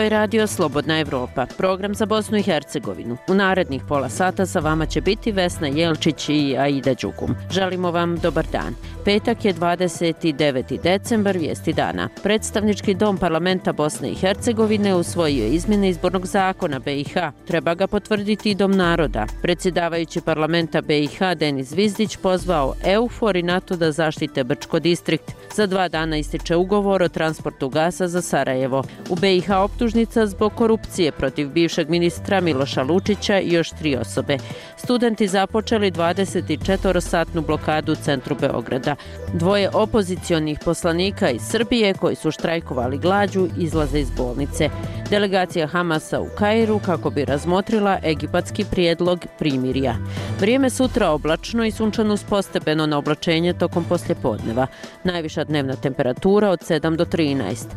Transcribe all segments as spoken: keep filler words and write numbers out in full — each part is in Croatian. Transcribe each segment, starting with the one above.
Ovo je radio Slobodna Evropa, program za Bosnu i Hercegovinu. U narednih pola sata sa vama će biti Vesna Jelčić i Aida Đugum. Želimo vam dobar dan. Petak je dvadeset deveti decembar, vijesti dana. Predstavnički dom parlamenta Bosne i Hercegovine usvojio izmjene izbornog zakona B i H. Treba ga potvrditi i Dom naroda. Predsjedavajući parlamenta B i H Denis Zvizdić pozvao EUFOR i NATO da zaštite Brčko distrikt. Za dva dana ističe ugovor o transportu gasa za Sarajevo. U B i H optužnica zbog korupcije protiv bivšeg ministra Miloša Lučića i još tri osobe. Studenti započeli dvadesetčetvorosatnu blokadu u centru Beograda. Dvoje opozicionih poslanika iz Srbije koji su štrajkovali glađu izlaze iz bolnice. Delegacija Hamasa u Kairu kako bi razmotrila egipatski prijedlog primirja. Vrijeme sutra oblačno i sunčano uz postepeno na oblačenje tokom poslijepodneva. Najviša dnevna temperatura od sedam do trinaest.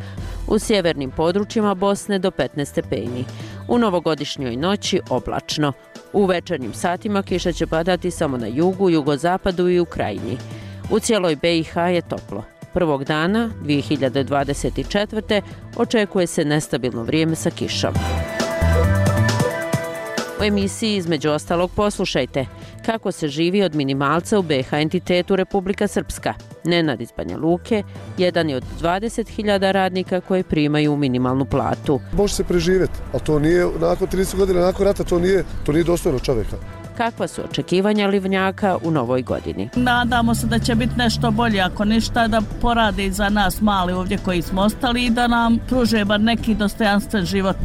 U sjevernim područjima Bosne do petnaest stepeni. U novogodišnjoj noći oblačno. U večernjim satima kiša će padati samo na jugu, jugozapadu i u krajini. U cijeloj B i H je toplo. Prvog dana dvije hiljade dvadeset četvrte. očekuje se nestabilno vrijeme sa kišom. U emisiji između ostalog poslušajte kako se živi od minimalca u B i H entitetu Republika Srpska. Nenad iz Banja Luke, jedan je od dvadeset hiljada radnika koji primaju minimalnu platu. Može se preživjeti, ali to nije, nakon trideset godina, nakon rata, to nije, to nije dostojno čovjeka. Kakva su očekivanja Livnjaka u novoj godini? Nadamo se da će biti nešto bolje, ako ništa da porade za nas mali ovdje koji smo ostali i da nam pruže bar neki dostojanstven život.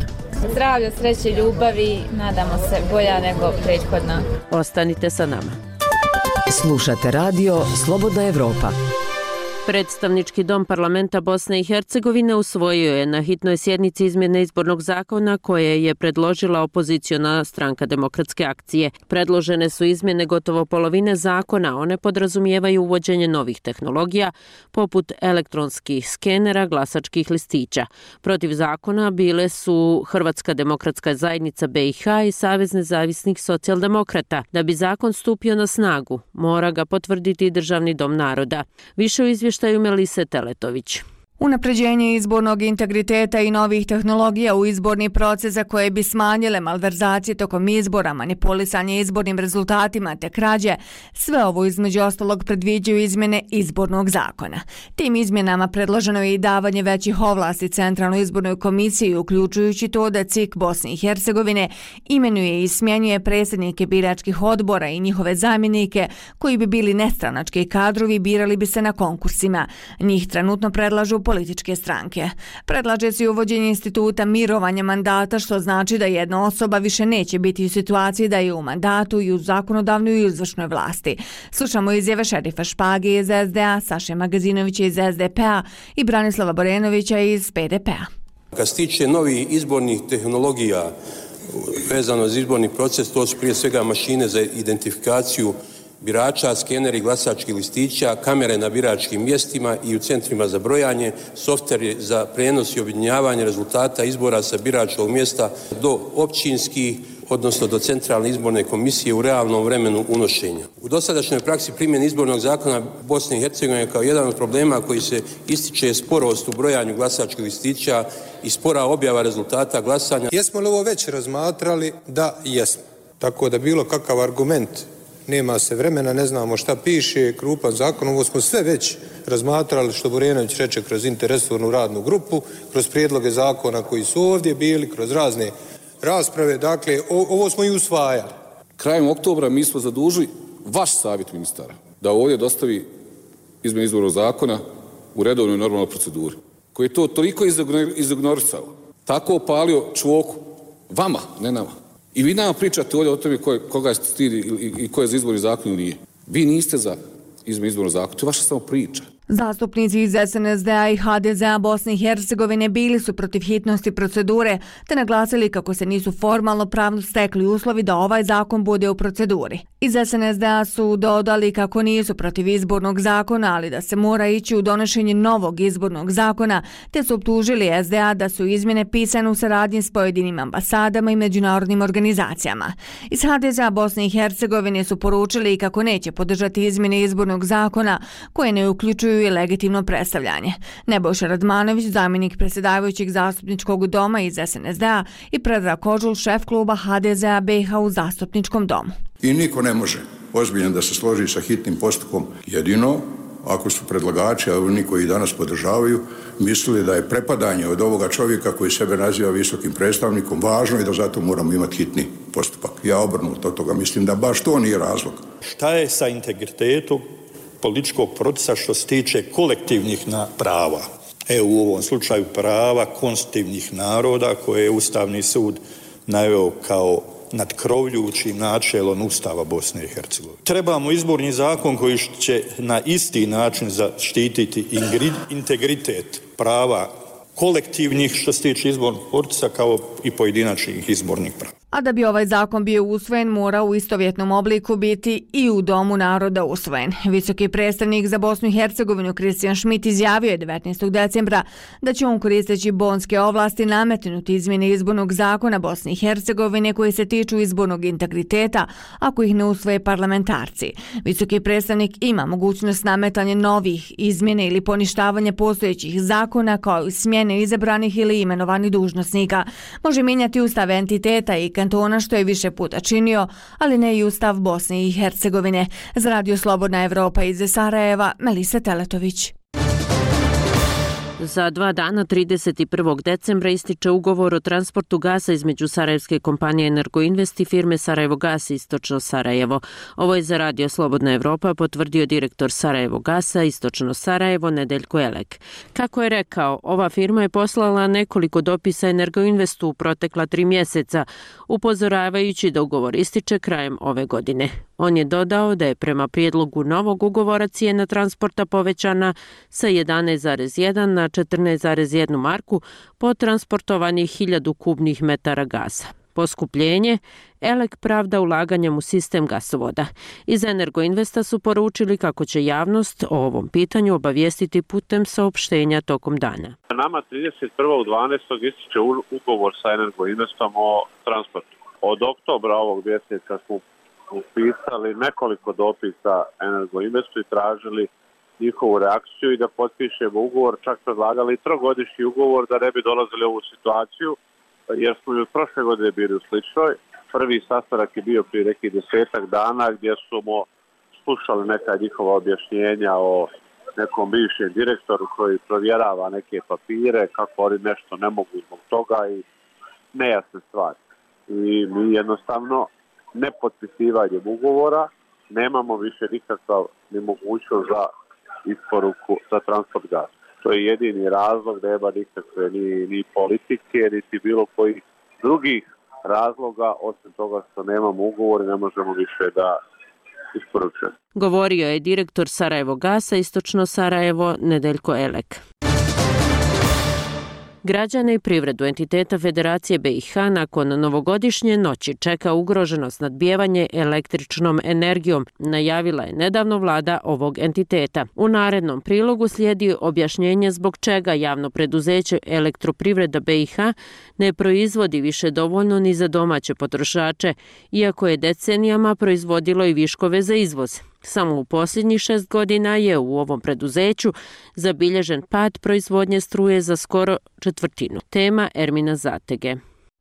Zdravlja, sreće, ljubavi, nadamo se bolja nego prethodna. Ostanite sa nama. Slušate radio Slobodna Evropa. Predstavnički dom parlamenta Bosne i Hercegovine usvojio je na hitnoj sjednici izmjene izbornog zakona koje je predložila opoziciona stranka Demokratske akcije. Predložene su izmjene gotovo polovine zakona, one podrazumijevaju uvođenje novih tehnologija poput elektronskih skenera, glasačkih listića. Protiv zakona bile su Hrvatska demokratska zajednica B i H i Savez nezavisnih socijaldemokrata. Da bi zakon stupio na snagu, mora ga potvrditi Državni dom naroda. Više u izvještaju Melise Teletović. Unapređenje izbornog integriteta i novih tehnologija u izborni proces za koje bi smanjile malverzacije tokom izbora, manipulisanje izbornim rezultatima te krađe, sve ovo između ostalog predviđaju izmjene izbornog zakona. Tim izmjenama predloženo je i davanje većih ovlasti Centralnoj izbornoj komisiji, uključujući to da C I K Bosne i Hercegovine imenuje i smjenjuje predsjednike biračkih odbora i njihove zamjenike koji bi bili nestranački kadrovi, birali bi se na konkursima. Njih trenutno predlažu političke stranke. Predlaže se uvođenje instituta mirovanja mandata, što znači da jedna osoba više neće biti u situaciji da je u mandatu i u zakonodavnoj i izvršnoj vlasti. Slušamo izjave Šerifa Špage iz S D A, Saše Magazinovića iz S D P-a i Branislava Borenovića iz P D P-a. Kad se tiče novih izbornih tehnologija vezano za izborni proces, to su prije svega mašine za identifikaciju birača, skeneri glasačkih listića, kamere na biračkim mjestima i u centrima za brojanje, softveri za prijenos i objedinjavanje rezultata izbora sa biračkog mjesta do općinskih, odnosno do Centralne izborne komisije u realnom vremenu unošenja. U dosadašnjoj praksi primjene izbornog zakona Bosne i Hercegovine kao jedan od problema koji se ističe sporost u brojanju glasačkih listića i spora objava rezultata glasanja. Jesmo li ovo već razmatrali? Da, jesmo. Tako da bilo kakav argument, nema se vremena, ne znamo šta piše, krupan zakon, ovo smo sve već razmatrali, što Borenović reče, kroz interresornu radnu grupu, kroz prijedloge zakona koji su ovdje bili, kroz razne rasprave, dakle, ovo smo i usvajali. Krajem oktobra mi smo zadužili vaš savjet ministara da ovdje dostavi izmjene izbornog zakona u redovnoj normalnoj proceduri, koji je to toliko izignorisao, tako opalio čvoku vama, ne nama. I vi nama pričate ovdje o tome koga je stid i ko je za izborni zakon ili nije. Vi niste za izmjene izbornog zakona, to je vaša samo priča. Zastupnici iz S N S D A i H D Z A Bosne i Hercegovine bili su protiv hitnosti procedure te naglasili kako se nisu formalno pravno stekli uslovi da ovaj zakon bude u proceduri. Iz S N S D A su dodali kako nisu protiv izbornog zakona, ali da se mora ići u donošenje novog izbornog zakona, te su optužili S D A da su izmjene pisane u saradnji s pojedinim ambasadama i međunarodnim organizacijama. Iz H D Z A Bosne i Hercegovine su poručili kako neće podržati izmjene izbornog zakona koje ne uključuju poštuju i legitimno predstavljanje. Nebojša Radmanović, zamjenik predsjedavajućeg zastupničkog doma iz S N S D-a i Predrag Kožul, šef kluba H D Z-a B iH u zastupničkom domu. I niko ne može ozbiljno da se složi sa hitnim postupkom, jedino ako su predlagači, a oni koji danas podržavaju, mislili da je prepadanje od ovoga čovjeka koji sebe naziva visokim predstavnikom važno i da zato moramo imati hitni postupak. Ja obrnuto od toga mislim da baš to nije razlog. Šta je sa integritetom političkog procesa što se tiče kolektivnih prava? Evo u ovom slučaju prava konstitutivnih naroda koje je Ustavni sud naveo kao nadkrovljujućim načelom Ustava Bosne i Hercegovine. Trebamo izborni zakon koji će na isti način zaštititi integritet prava kolektivnih što se tiče izbornih procesa kao i pojedinačnih izbornih prava. A da bi ovaj zakon bio usvojen, mora u istovjetnom obliku biti i u Domu naroda usvojen. Visoki predstavnik za Bosnu i Hercegovinu Kristijan Šmit izjavio je devetnaestog decembra da će on koristeći bonske ovlasti nametnuti izmjene izbornog zakona Bosne i Hercegovine koji se tiču izbornog integriteta ako ih ne usvoje parlamentarci. Visoki predstavnik ima mogućnost nametanja novih izmjene ili poništavanja postojećih zakona kao i smjene izabranih ili imenovanih dužnosnika. Može mijenjati ustav entiteta i kantona što je više puta činio, ali ne i Ustav Bosne i Hercegovine. Za Radio Slobodna Evropa iz Sarajeva, Melisa Teletović. Za dva dana, trideset prvog decembra, ističe ugovor o transportu gasa između sarajevske kompanije Energoinvest i firme Sarajevo gas Istočno Sarajevo. Ovo je za Radio Slobodna Evropa potvrdio direktor Sarajevo gasa Istočno Sarajevo Nedeljko Elek. Kako je rekao, ova firma je poslala nekoliko dopisa Energoinvestu u protekla tri mjeseca, upozoravajući da ugovor ističe krajem ove godine. On je dodao da je prema prijedlogu novog ugovora cijena transporta povećana sa jedanaest zarez jedan na četrnaest zarez jedan marku po transportovanih hiljadu kubnih metara gasa. Poskupljenje Elek pravda ulaganjem u sistem gasovoda. Iz Energoinvesta su poručili kako će javnost o ovom pitanju obavijestiti putem saopštenja tokom dana. Nama trideset prvog dvanaestog ističe ugovor sa Energoinvestom o transportu. Od oktobra ovog mjeseca smo upisali nekoliko dopisa Energoinvestu i tražili njihovu reakciju i da potpišemo ugovor, čak predlagali trogodišnji ugovor da ne bi dolazili u ovu situaciju, jer smo i od prošle godine bili u sličnoj. Prvi sastanak je bio prije nekih desetak dana gdje smo slušali neka njihova objašnjenja o nekom bivšem direktoru koji provjerava neke papire, kako oni nešto ne mogu zbog toga i nejasne stvari. I mi jednostavno nepotpisivanjem ugovora nemamo više nikakav ni mogućnost za isporuku za transport gasa. To je jedini razlog, nema nikakve ni, ni politike, niti bilo kojih drugih razloga, osim toga što nemamo ugovor i ne možemo više da isporučujemo. Govorio je direktor Sarajevo gasa Istočno Sarajevo Nedeljko Elek. Građane i privredu entiteta Federacije B iH nakon novogodišnje noći čeka ugroženo snadbijevanje električnom energijom, najavila je nedavno vlada ovog entiteta. U narednom prilogu slijedi objašnjenje zbog čega javno preduzeće Elektroprivreda B iH ne proizvodi više dovoljno ni za domaće potrošače, iako je decenijama proizvodilo i viškove za izvoz. Samo u posljednjih šest godina je u ovom preduzeću zabilježen pad proizvodnje struje za skoro četvrtinu. Tema Ermina Zatege.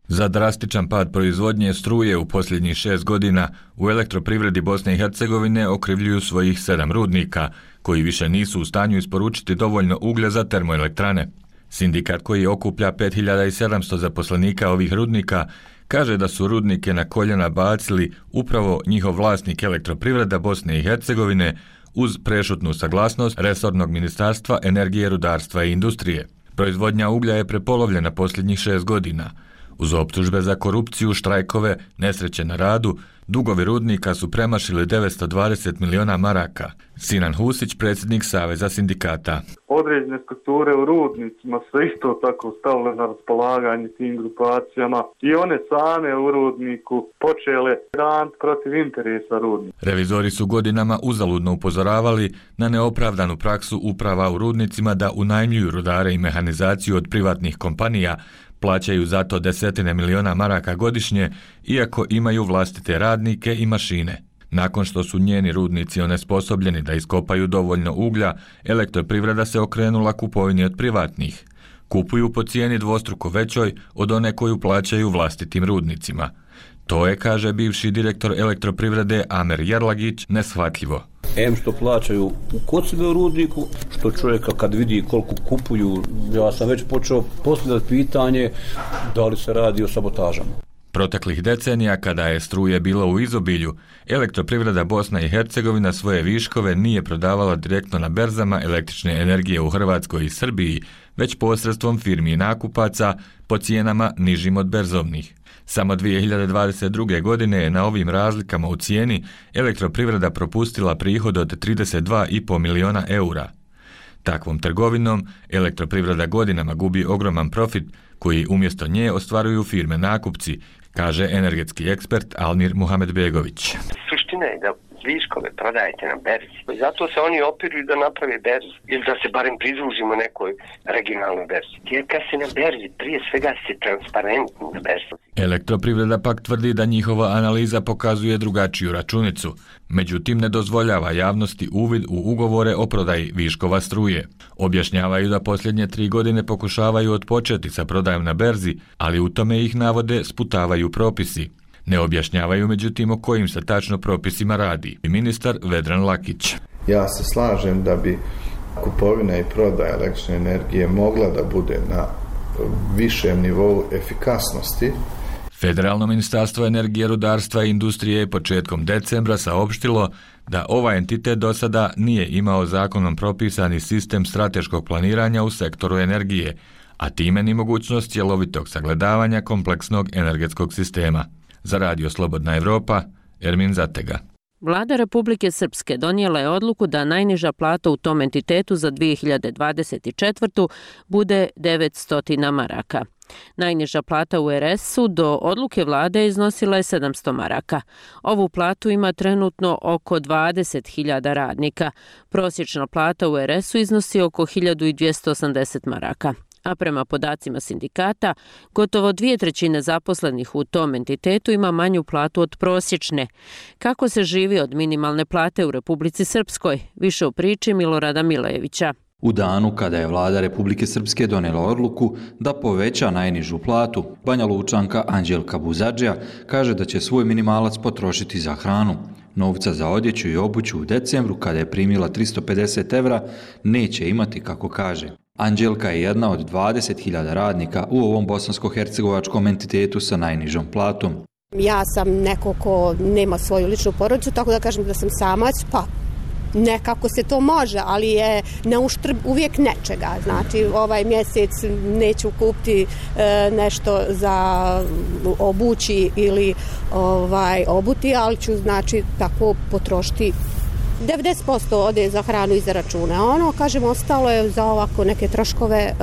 Za drastičan pad proizvodnje struje u posljednjih šest godina u Elektroprivredi Bosne i Hercegovine okrivljuju svojih sedam rudnika, koji više nisu u stanju isporučiti dovoljno uglja za termoelektrane. Sindikat koji okuplja pet hiljada sedamsto zaposlenika ovih rudnika kaže da su rudnike na koljena bacili upravo njihov vlasnik Elektroprivreda Bosne i Hercegovine uz prešutnu saglasnost resornog ministarstva energije, rudarstva i industrije. Proizvodnja uglja je prepolovljena posljednjih šest godina. Uz optužbe za korupciju, štrajkove, nesreće na radu, dugovi rudnika su premašili devetsto dvadeset miliona maraka. Sinan Husić, predsjednik Saveza sindikata. Određene strukture u rudnicima su isto tako stavile na raspolaganje tim grupacijama i one same u rudniku počele rant protiv interesa rudnika. Revizori su godinama uzaludno upozoravali na neopravdanu praksu uprava u rudnicima da unajmljuju rudare i mehanizaciju od privatnih kompanija, plaćaju zato desetine miliona maraka godišnje, iako imaju vlastite radnike i mašine. Nakon što su njeni rudnici onesposobljeni da iskopaju dovoljno uglja, elektroprivreda se okrenula kupovini od privatnih. Kupuju po cijeni dvostruko većoj od one koju plaćaju vlastitim rudnicima. To je, kaže bivši direktor elektroprivrede Amer Jerlagić, neshvatljivo. Em što plaćaju u kod sebe u rudniku, što čovjeka kad vidi koliko kupuju, ja sam već počeo postavljati pitanje da li se radi o sabotažama. Proteklih decenija, kada je struje bilo u izobilju, elektroprivreda Bosna i Hercegovina svoje viškove nije prodavala direktno na berzama električne energije u Hrvatskoj i Srbiji, već posredstvom firmi i nakupaca po cijenama nižim od berzovnih. Samo dvije hiljade dvadeset druge. godine je na ovim razlikama u cijeni elektroprivreda propustila prihod od trideset dva i pol miliona eura. Takvom trgovinom elektroprivreda godinama gubi ogroman profit koji umjesto nje ostvaruju firme nakupci, kaže energetski ekspert Almir Muhamedbegović. Suština je da viškove prodajete na berzi. Zato se oni opiruju da naprave berzu ili da se barem pridružimo nekoj regionalnoj berzi. Jer kad se na berzi, prije svega se transparentni na berzi. Elektroprivreda pak tvrdi da njihova analiza pokazuje drugačiju računicu, međutim ne dozvoljava javnosti uvid u ugovore o prodaji viškova struje. Objašnjavaju da posljednje tri godine pokušavaju otpočeti sa prodajom na berzi, ali u tome ih navode sputavaju propisi. Ne objašnjavaju međutim o kojim se tačno propisima radi. Ministar Vedran Lakić. Ja se slažem da bi kupovina i prodaja električne energije mogla da bude na višem nivou efikasnosti. Federalno ministarstvo energije, rudarstva i industrije je početkom decembra saopštilo da ovaj entitet do sada nije imao zakonom propisani sistem strateškog planiranja u sektoru energije, a time ni mogućnost cjelovitog sagledavanja kompleksnog energetskog sistema. Za Radio Slobodna Evropa, Ermin Zatega. Vlada Republike Srpske donijela je odluku da najniža plata u tom entitetu za dvije hiljade dvadeset četvrtu. bude devetsto maraka. Najniža plata u er es-u do odluke vlade iznosila je sedamsto maraka. Ovu platu ima trenutno oko dvadeset hiljada radnika. Prosječna plata u er es-u iznosi oko hiljadu dvjesto osamdeset maraka. A prema podacima sindikata, gotovo dvije trećine zaposlenih u tom entitetu ima manju platu od prosječne. Kako se živi od minimalne plate u Republici Srpskoj? Više u priči Milorada Milejevića. U danu kada je vlada Republike Srpske donijela odluku da poveća najnižu platu, Banja Lučanka Anđelka Buzadžija kaže da će svoj minimalac potrošiti za hranu. Novca za odjeću i obuću u decembru, kada je primila tristo pedeset evra, neće imati, kako kaže. Anđelka je jedna od dvadeset hiljada radnika u ovom bosansko-hercegovačkom entitetu sa najnižom platom. Ja sam neko ko nema svoju ličnu porodicu, tako da kažem da sam samac, pa nekako se to može, ali je na uštrb uvijek nečega. Znači, ovaj mjesec neću kupiti e, nešto za obući ili ovaj, obuti, ali ću, znači, tako potrošiti. devedeset posto ode za hranu i za račune, a ono, kažem, ostalo je za ovako neke troškove e, e,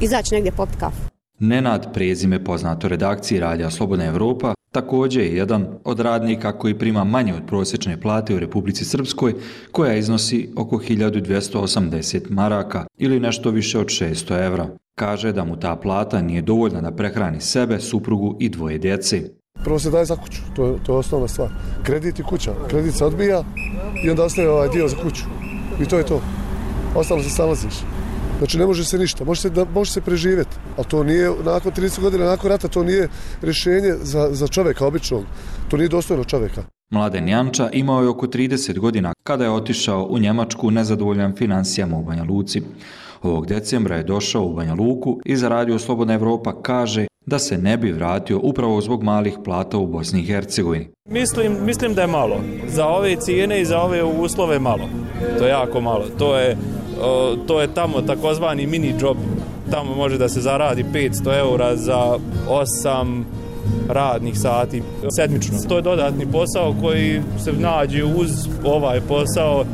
izaći negdje popiti kafu. Nenad, prezime poznato redakciji Radija Slobodna Evropa, također je jedan od radnika koji prima manje od prosječne plate u Republici Srpskoj, koja iznosi oko hiljadu dvjesto osamdeset maraka ili nešto više od šesto evra. Kaže da mu ta plata nije dovoljna da prehrani sebe, suprugu i dvoje djece. Prvo se daje za kuću, to je, to je osnovna stvar. Kredit i kuća. Kredit se odbija i onda ostaje ovaj dio za kuću. I to je to. Ostalo se snalaziš. Znači ne može se ništa, može se, da, može se preživjeti, ali to nije, nakon trideset godina, nakon rata, to nije rješenje za, za čovjeka običnog, to nije dostojno čovjeka. Mladen Janča imao je oko trideset godina kada je otišao u Njemačku nezadovoljan financijama u Banja Luci. Ovog decembra je došao u Banja Luku i za Radio Slobodna Evropa kaže da se ne bi vratio upravo zbog malih plata u Bosni i Hercegovini. Mislim, mislim da je malo. Za ove cijene i za ove uslove malo. To je jako malo. To je, to je tamo takozvani mini job. Tamo može da se zaradi petsto eura za osam radnih sati sedmično. To je dodatni posao koji se nađe uz ovaj posao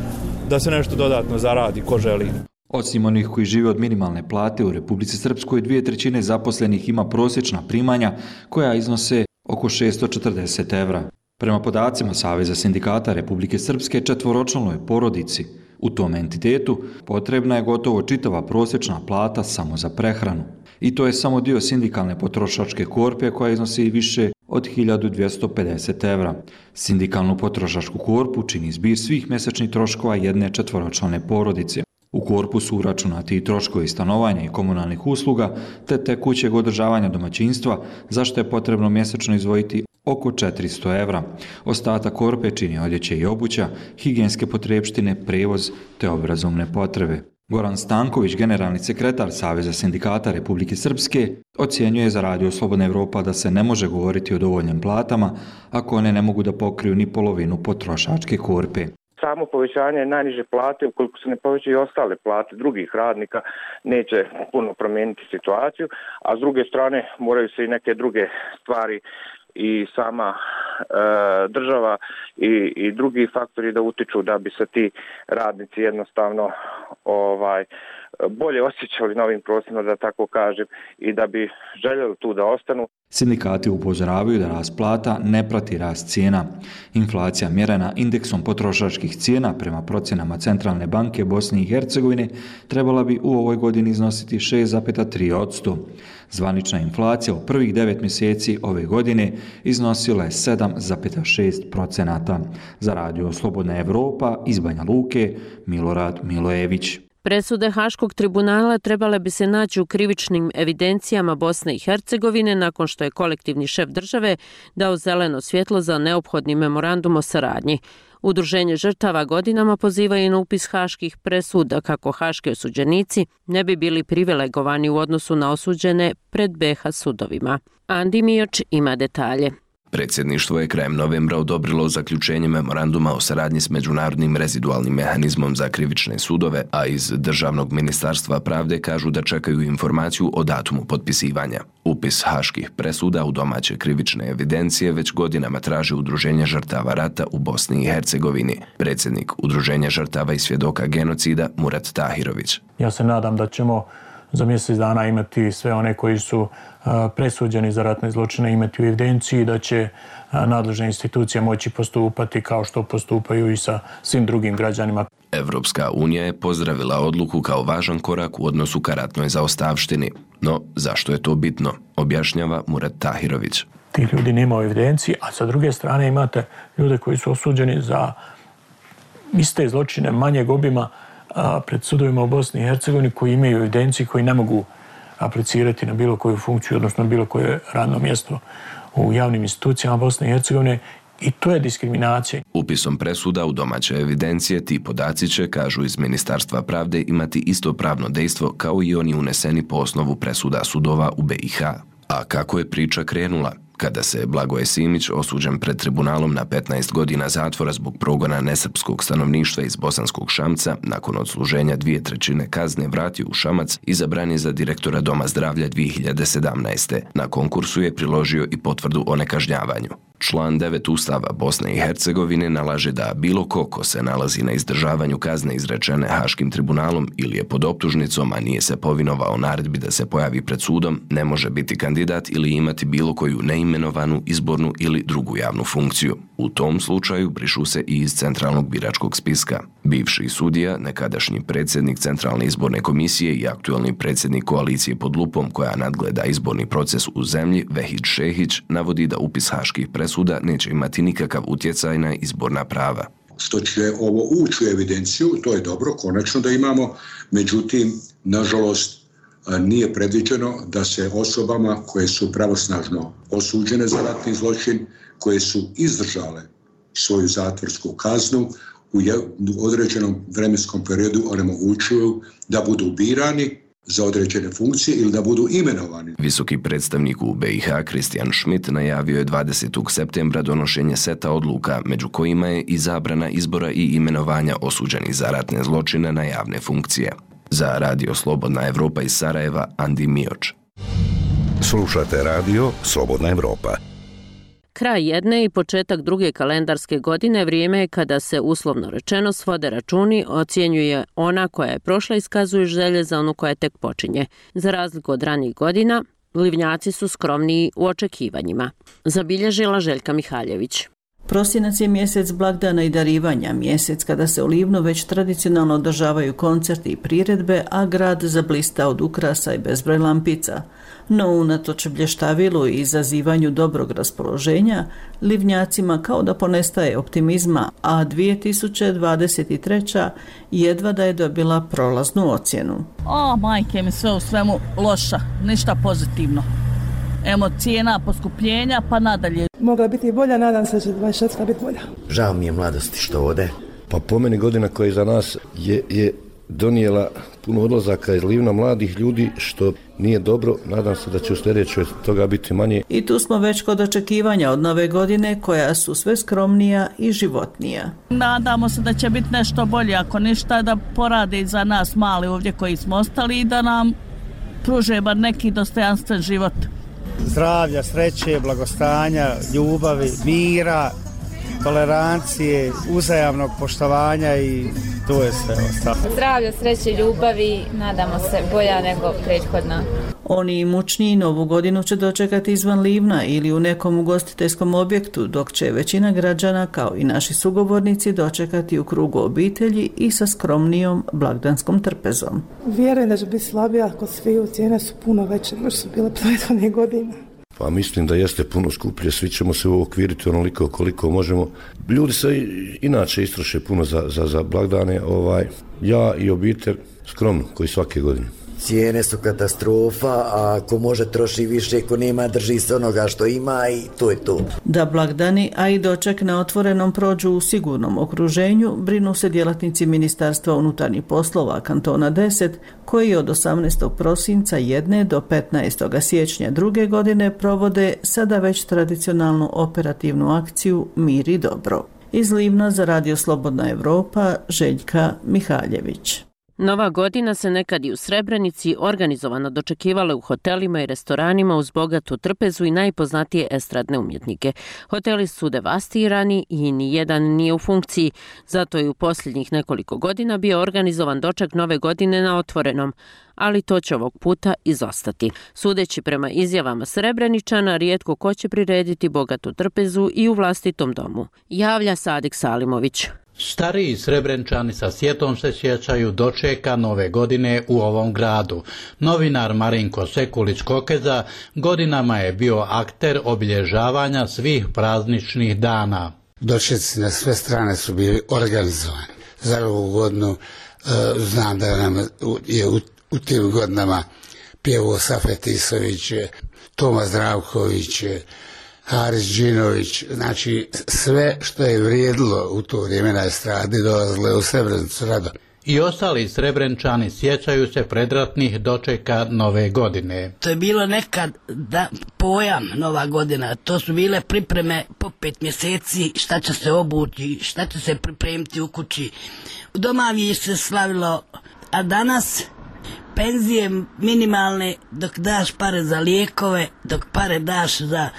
da se nešto dodatno zaradi ko želi. Osim onih koji žive od minimalne plate u Republici Srpskoj, dvije trećine zaposlenih ima prosječna primanja koja iznose oko šesto četrdeset evra. Prema podacima Saveza sindikata Republike Srpske, četvoročlanoj porodici u tom entitetu potrebna je gotovo čitava prosječna plata samo za prehranu. I to je samo dio sindikalne potrošačke korpe koja iznosi više od hiljadu dvjesto pedeset evra. Sindikalnu potrošačku korpu čini zbir svih mjesečnih troškova jedne četvoročlane porodice. U korpu su uračunati i troškovi stanovanja i komunalnih usluga, te tekućeg održavanja domaćinstva, za što je potrebno mjesečno izdvojiti oko četiristo evra. Ostatak korpe čini odjeća i obuća, higijenske potrepštine, prevoz te obrazovne potrebe. Goran Stanković, generalni sekretar Saveza sindikata Republike Srpske, ocjenjuje za Radio Slobodna Evropa da se ne može govoriti o dovoljnim platama ako one ne mogu da pokriju ni polovinu potrošačke korpe. Samo povećanje najniže plate, ukoliko se ne povećaju i ostale plate drugih radnika, neće puno promijeniti situaciju, a s druge strane moraju se i neke druge stvari i sama e, država i, i drugi faktori da utiču da bi se ti radnici jednostavno ovaj bolje osjećali na ovim prostorima, da tako kažem, i da bi željeli tu da ostanu. Sindikati upozoravaju da rast plata ne prati rast cijena. Inflacija mjerena indeksom potrošačkih cijena prema procjenama Centralne banke Bosne i Hercegovine trebala bi u ovoj godini iznositi šest zarez tri posto. Zvanična inflacija u prvih devet mjeseci ove godine iznosila je sedam zarez šest posto. Za Radio Slobodna Evropa iz Banja Luke, Milorad Milojević. Presude Haškog tribunala trebale bi se naći u krivičnim evidencijama Bosne i Hercegovine nakon što je kolektivni šef države dao zeleno svjetlo za neophodni memorandum o saradnji. Udruženje žrtava godinama pozivaju na upis haških presuda kako haški osuđenici ne bi bili privilegovani u odnosu na osuđene pred B H sudovima. Andi Mioč ima detalje. Predsjedništvo je krajem novembra odobrilo zaključenje memoranduma o saradnji s Međunarodnim rezidualnim mehanizmom za krivične sudove, a iz Državnog ministarstva pravde kažu da čekaju informaciju o datumu potpisivanja. Upis haških presuda u domaće krivične evidencije već godinama traži Udruženje žrtava rata u Bosni i Hercegovini. Predsjednik Udruženja žrtava i svjedoka genocida Murat Tahirović. Ja se nadam da ćemo za mjesec dana imati sve one koji su presuđeni za ratne zločine imati u evidenciji, da će nadležne institucije moći postupati kao što postupaju i sa svim drugim građanima. Evropska unija je pozdravila odluku kao važan korak u odnosu ka ratnoj zaostavštini. No, zašto je to bitno? Objašnjava Murat Tahirović. Ti ljudi nema u evidenciji, a sa druge strane imate ljude koji su osuđeni za iste zločine manjeg obima pred sudovima u Bosni i Hercegovini, koji imaju evidenciju, koji ne mogu aplicirati na bilo koju funkciju, odnosno na bilo koje radno mjesto u javnim institucijama Bosne i Hercegovine, i to je diskriminacija. Upisom presuda u domaće evidencije ti podaci će, kažu iz Ministarstva pravde, imati isto pravno dejstvo kao i oni uneseni po osnovu presuda sudova u B i H. A kako je priča krenula? Kada se Blagoje Simić, osuđen pred tribunalom na petnaest godina zatvora zbog progona nesrpskog stanovništva iz Bosanskog Šamca, nakon odsluženja dvije trećine kazne vratio u Šamac, izabran je za direktora Doma zdravlja dvije hiljade sedamnaeste. Na konkursu je priložio i potvrdu o nekažnjavanju. Član devet Ustava Bosne i Hercegovine nalaže da bilo ko ko se nalazi na izdržavanju kazne izrečene Haškim tribunalom ili je pod optužnicom, a nije se povinovao naredbi da se pojavi pred sudom, ne može biti kandidat ili imati bilo koju neimenovanu, izbornu ili drugu javnu funkciju. U tom slučaju brišu se i iz centralnog biračkog spiska. Bivši sudija, nekadašnji predsjednik Centralne izborne komisije i aktualni predsjednik koalicije pod lupom koja nadgleda izborni proces u zemlji, Vehid Šehić, navodi da upis haških presuda neće imati nikakav utjecaj na izborna prava. Što će ovo ući u evidenciju, to je dobro, konačno da imamo, međutim, nažalost, nije predviđeno da se osobama koje su pravosnažno osuđene za ratni zločin, koje su izdržale svoju zatvorsku kaznu, u određenom vremenskom periodu onemogućuju da budu birani za određene funkcije ili da budu imenovani. Visoki predstavnik u B i H Kristijan Schmidt najavio je dvadesetog septembra donošenje seta odluka, među kojima je i zabrana izbora i imenovanja osuđenih za ratne zločine na javne funkcije. Za Radio Slobodna Evropa iz Sarajeva, Andi Mioč. Slušate Radio Slobodna Evropa. Kraj jedne i početak druge kalendarske godine vrijeme je kada se, uslovno rečeno, svode računi, ocjenjuje ona koja je prošla, iskazuje želje za onu koja tek počinje. Za razliku od ranijih godina, livnjaci su skromniji u očekivanjima. Zabilježila Željka Mihaljević. Prosinac je mjesec blagdana i darivanja, mjesec kada se u Livnu već tradicionalno održavaju koncerti i priredbe, a grad zablista od ukrasa i bezbroj lampica. No unatoč blještavilu i izazivanju dobrog raspoloženja, Livnjacima kao da ponestaje optimizma, a dvije tisuće dvadeset treća jedva da je dobila prolaznu ocjenu. O, majke mi, sve u svemu loša, ništa pozitivno. Emo cijena, poskupljenja, pa nadalje. Mogla biti i bolja, nadam se da će dvadeset četvrta biti bolja. Žao mi je mladosti što ode. Pa po meni godina koja je za nas je, je donijela puno odlazaka iz Livna mladih ljudi, što nije dobro. Nadam se da će u sljedećoj toga biti manje. I tu smo već kod očekivanja od nove godine, koja su sve skromnija i životnija. Nadamo se da će biti nešto bolje, ako ništa da porade za nas mali ovdje koji smo ostali i da nam pruže bar neki dostojanstven život. Zdravlja, sreće, blagostanja, ljubavi, mira, tolerancije, uzajamnog poštovanja i to je sve ostalo. Zdravlja, sreće, ljubavi, nadamo se bolja nego prethodna. Oni imućniji novu godinu će dočekati izvan Livna ili u nekom ugostiteljskom objektu, dok će većina građana, kao i naši sugovornici, dočekati u krugu obitelji i sa skromnijom blagdanskom trpezom. Vjerujem da će biti slabija kod sviju, cijene su puno veće nego su bile prethodne godine. Pa mislim da jeste puno skuplje, svi ćemo se uokviriti onoliko koliko možemo. Ljudi se inače istroše puno za, za, za blagdane, ovaj, ja i obitelj skromno, koji svake godine. Cijene su katastrofa, a ako može troši više, ako nema drži se onoga što ima i to je to. Da blagdani, a i doček na otvorenom prođu u sigurnom okruženju, brinu se djelatnici Ministarstva unutarnjih poslova kantona deset, koji od osamnaestog prosinca jedne do petnaestog siječnja druge godine provode sada već tradicionalnu operativnu akciju Mir i dobro. Iz Livna za Radio Slobodna Evropa, Željka Mihaljević. Nova godina se nekad i u Srebrenici organizovano dočekivala u hotelima i restoranima uz bogatu trpezu i najpoznatije estradne umjetnike. Hoteli su devastirani i ni jedan nije u funkciji, zato je u posljednjih nekoliko godina bio organizovan doček nove godine na otvorenom, ali to će ovog puta izostati. Sudeći prema izjavama Srebreničana, rijetko ko će prirediti bogatu trpezu i u vlastitom domu, javlja Sadik Salimović. Stariji Srebrenčani sa sjetom se sjećaju dočeka nove godine u ovom gradu. Novinar Marinko Sekulić-Kokeza godinama je bio akter obilježavanja svih prazničnih dana. Dočeci na sve strane su bili organizovani. Za ovu godinu e, znam da nam je u, u tim godinama pjevao Safet Isović, Toma Zdravković, Haris Džinović, znači sve što je vrijedilo u to vrijeme na estradi dolazile u Srebrenicu rado. I ostali Srebrenčani sjećaju se predratnih dočeka nove godine. To je bilo nekad da, pojam Nova godina, to su bile pripreme po pet mjeseci, šta će se obući, šta će se pripremiti u kući. U domavi se slavilo, a danas penzije minimalne, dok daš pare za lijekove, dok pare daš za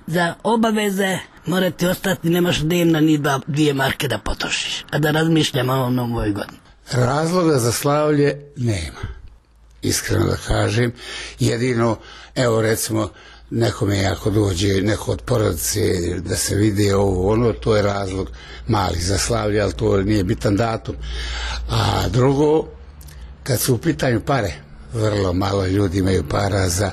za obaveze, morate ostati, nemaš dnevna ni dva, dvije marke da potrošiš, a da razmišljamo o novoj godini. Razloga za slavlje nema, iskreno da kažem. Jedino, evo recimo, nekome ako dođe neko od porodice da se vidi ovo, ono, to je razlog mali za slavlje, ali to nije bitan datum. A drugo, kad su u pitanju pare, vrlo malo ljudi imaju para za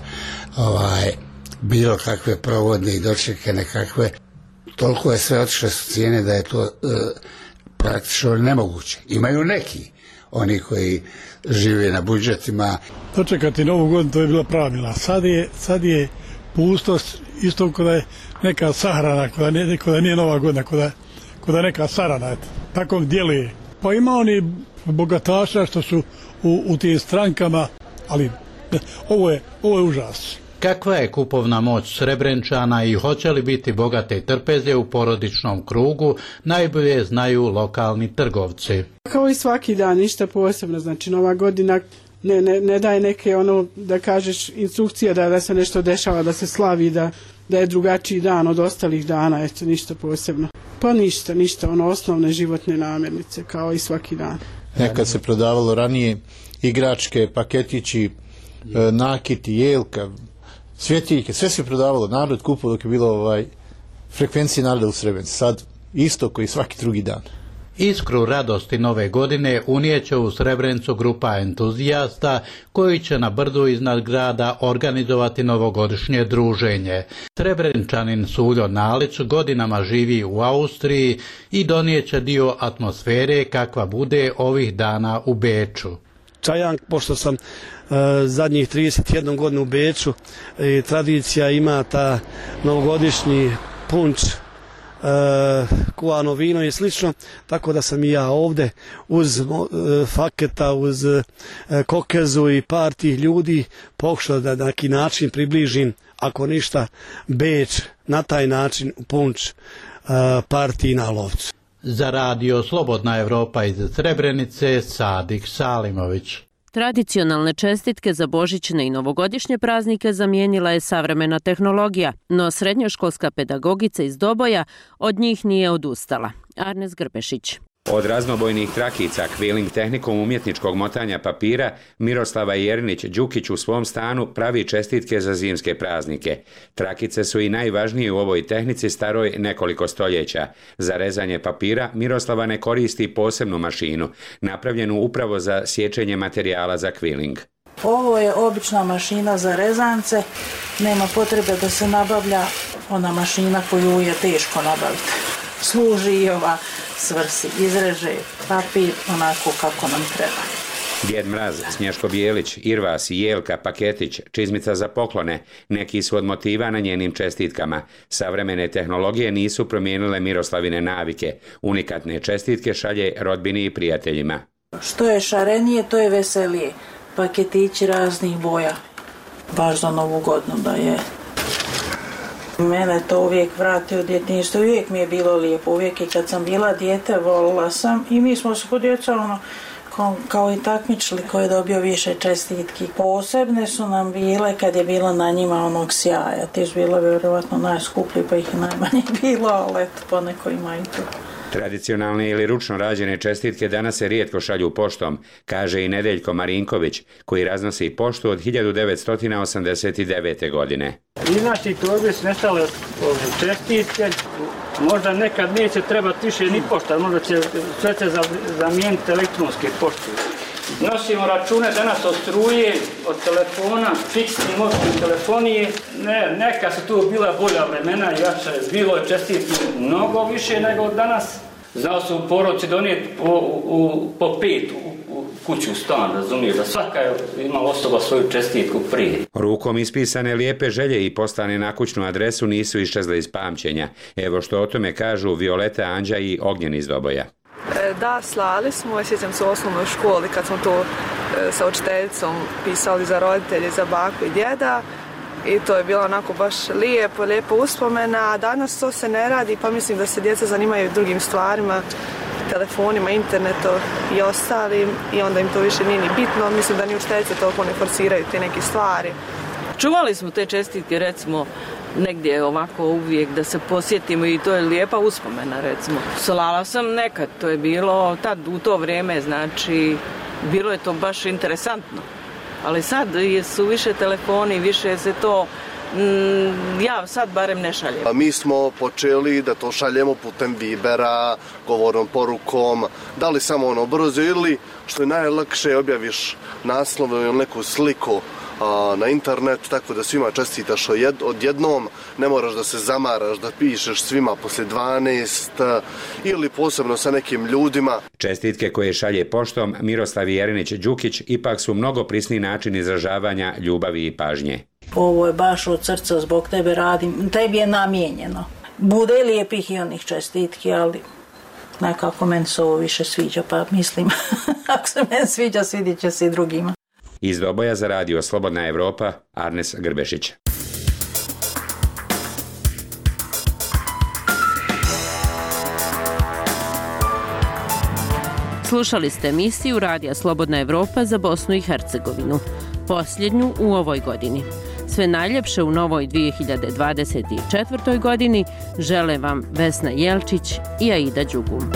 ovaj bilo kakve provodne i dočeke nekakve. Toliko je sve otišle su cijene da je to e, praktično nemoguće. Imaju neki, oni koji žive na budžetima. Dočekati novu godinu, to je bila pravila. Sad je, sad je pustost, isto kada je neka sahrana, kada nije, kada nije nova godina, kada, kada je neka sarana, tako djeluje. Pa ima oni bogataša što su u, u tim strankama, ali ovo je, ovo je užas. Kakva je kupovna moć Srebrenčana i hoće li biti bogate trpeze u porodičnom krugu, najbolje znaju lokalni trgovci. Kao i svaki dan, ništa posebno, znači nova godina ne, ne, ne daje neke ono da kažeš instrukcije da, da se nešto dešava, da se slavi, da, da je drugačiji dan od ostalih dana, eto ništa posebno. Pa ništa, ništa, ono osnovne životne namirnice kao i svaki dan. Nekad se prodavalo ranije igračke, paketići, nakiti, jelka, svjetiljke, sve se prodavalo, narod kupao dok je bilo ovaj frekvencije naroda u Srebrenici. Sad isto koji svaki drugi dan. Iskru radosti nove godine unijeće u Srebrenicu grupa entuzijasta koji će na brdu iznad grada organizovati novogodišnje druženje. Srebreničanin Suljo Nalić godinama živi u Austriji i donijeće dio atmosfere kakva bude ovih dana u Beču. Čajank, pošto sam e, zadnjih trideset jednu godinu u Beču, e, tradicija ima ta novogodišnji punč, E, kuvano vino i slično, tako da sam i ja ovde uz e, faketa, uz e, kokezu i par tih ljudi pokušao da na neki način približim, ako ništa, Beč na taj način u punč e, partiji na lovcu. Za radio Slobodna Evropa iz Srebrenice, Sadik Salimović. Tradicionalne čestitke za božićne i novogodišnje praznike zamijenila je savremena tehnologija, no srednjoškolska pedagogica iz Doboja od njih nije odustala. Arnes Grbešić. Od raznobojnih trakica kviling tehnikom umjetničkog motanja papira Miroslava Jerinić-Đukić u svom stanu pravi čestitke za zimske praznike. Trakice su i najvažnije u ovoj tehnici staroj nekoliko stoljeća. Za rezanje papira Miroslava ne koristi posebnu mašinu, napravljenu upravo za sječenje materijala za kviling. Ovo je obična mašina za rezance, nema potrebe da se nabavlja ona mašina koju je teško nabaviti. Služi i ova svrsi, izreže papir onako kako nam treba. Djed Mraz, Snješko Bijelić, Irvas, Jelka, Paketić, čizmica za poklone, neki su od motiva na njenim čestitkama. Savremene tehnologije nisu promijenile Miroslavine navike. Unikatne čestitke šalje rodbini i prijateljima. Što je šarenije, to je veselije. Paketići raznih boja, baš za Novu godinu da je. Mene to uvijek vrati u djetinjstvo, uvijek mi je bilo lijepo, uvijek i kad sam bila dijete volila sam i mi smo se kod djeca ono, kao, kao i takmičili ko je dobio više čestitki. Posebne su nam bile kad je bilo na njima onog sjaja, ti su bile vjerovatno najskuplji pa ih je najmanje bilo, ali eto poneko ima i to. Tradicionalne ili ručno rađene čestitke danas se rijetko šalju poštom, kaže i Nedeljko Marinković, koji raznosi poštu od hiljadu devetsto osamdeset devete. godine. Iz naših torbi su nestale čestitke, možda nekad neće trebati više ni pošta, možda će sve se zamijeniti elektronske pošte. Nosimo račune danas od struje, od telefona, fiksni mobilni telefonije. Ne, neka su tu bila bolja vremena, jače, bilo je čestitki mnogo više nego danas. Znao su u porodci donijeti po, u, po pet u, u kuću, stan, razumije, da svaka je imala osoba svoju čestitku prije. Rukom ispisane lijepe želje i poslane na kućnu adresu nisu iščezle iz pamćenja. Evo što o tome kažu Violeta Anđa i Ognjen iz Doboja. Da, slali smo, sjećam se u osnovnoj školi kad smo to e, sa učiteljicom pisali za roditelje, za baku i djeda i to je bilo onako baš lijepo, lijepo uspomena, a danas to se ne radi pa mislim da se djeca zanimaju drugim stvarima, telefonima, internetu i ostalim i onda im to više nije ni bitno, mislim da ni učiteljice toliko ne forsiraju te neke stvari. Čuvali smo te čestitke recimo negdje ovako uvijek da se posjetimo i to je lijepa uspomena recimo. Slala sam nekad, to je bilo tad u to vrijeme, znači bilo je to baš interesantno. Ali sad su više telefoni, više se to, mm, ja sad barem ne šaljem. A mi smo počeli da to šaljemo putem Vibera, govornom porukom, da li samo ono brzo ili što je najlakše objaviš naslov ili neku sliku na internet, tako da svima čestitaš odjednom, ne moraš da se zamaraš, da pišeš svima poslije dvanaest ili posebno sa nekim ljudima. Čestitke koje šalje poštom Miroslav Jerinić-Đukić ipak su mnogo prisni način izražavanja ljubavi i pažnje. Ovo je baš od srca, zbog tebe radim, tebi je namijenjeno. Bude lijepih i onih čestitki, ali nekako meni se ovo više sviđa, pa mislim, ako se meni sviđa, svidit će se i drugima. Iz Doboja za radio Slobodna Evropa, Arnes Grbešić. Slušali ste emisiju Radija Slobodna Evropa za Bosnu i Hercegovinu, posljednju u ovoj godini. Sve najljepše u novoj dvije hiljade dvadeset četvrtoj. godini žele vam Vesna Jelčić i Aida Đugum.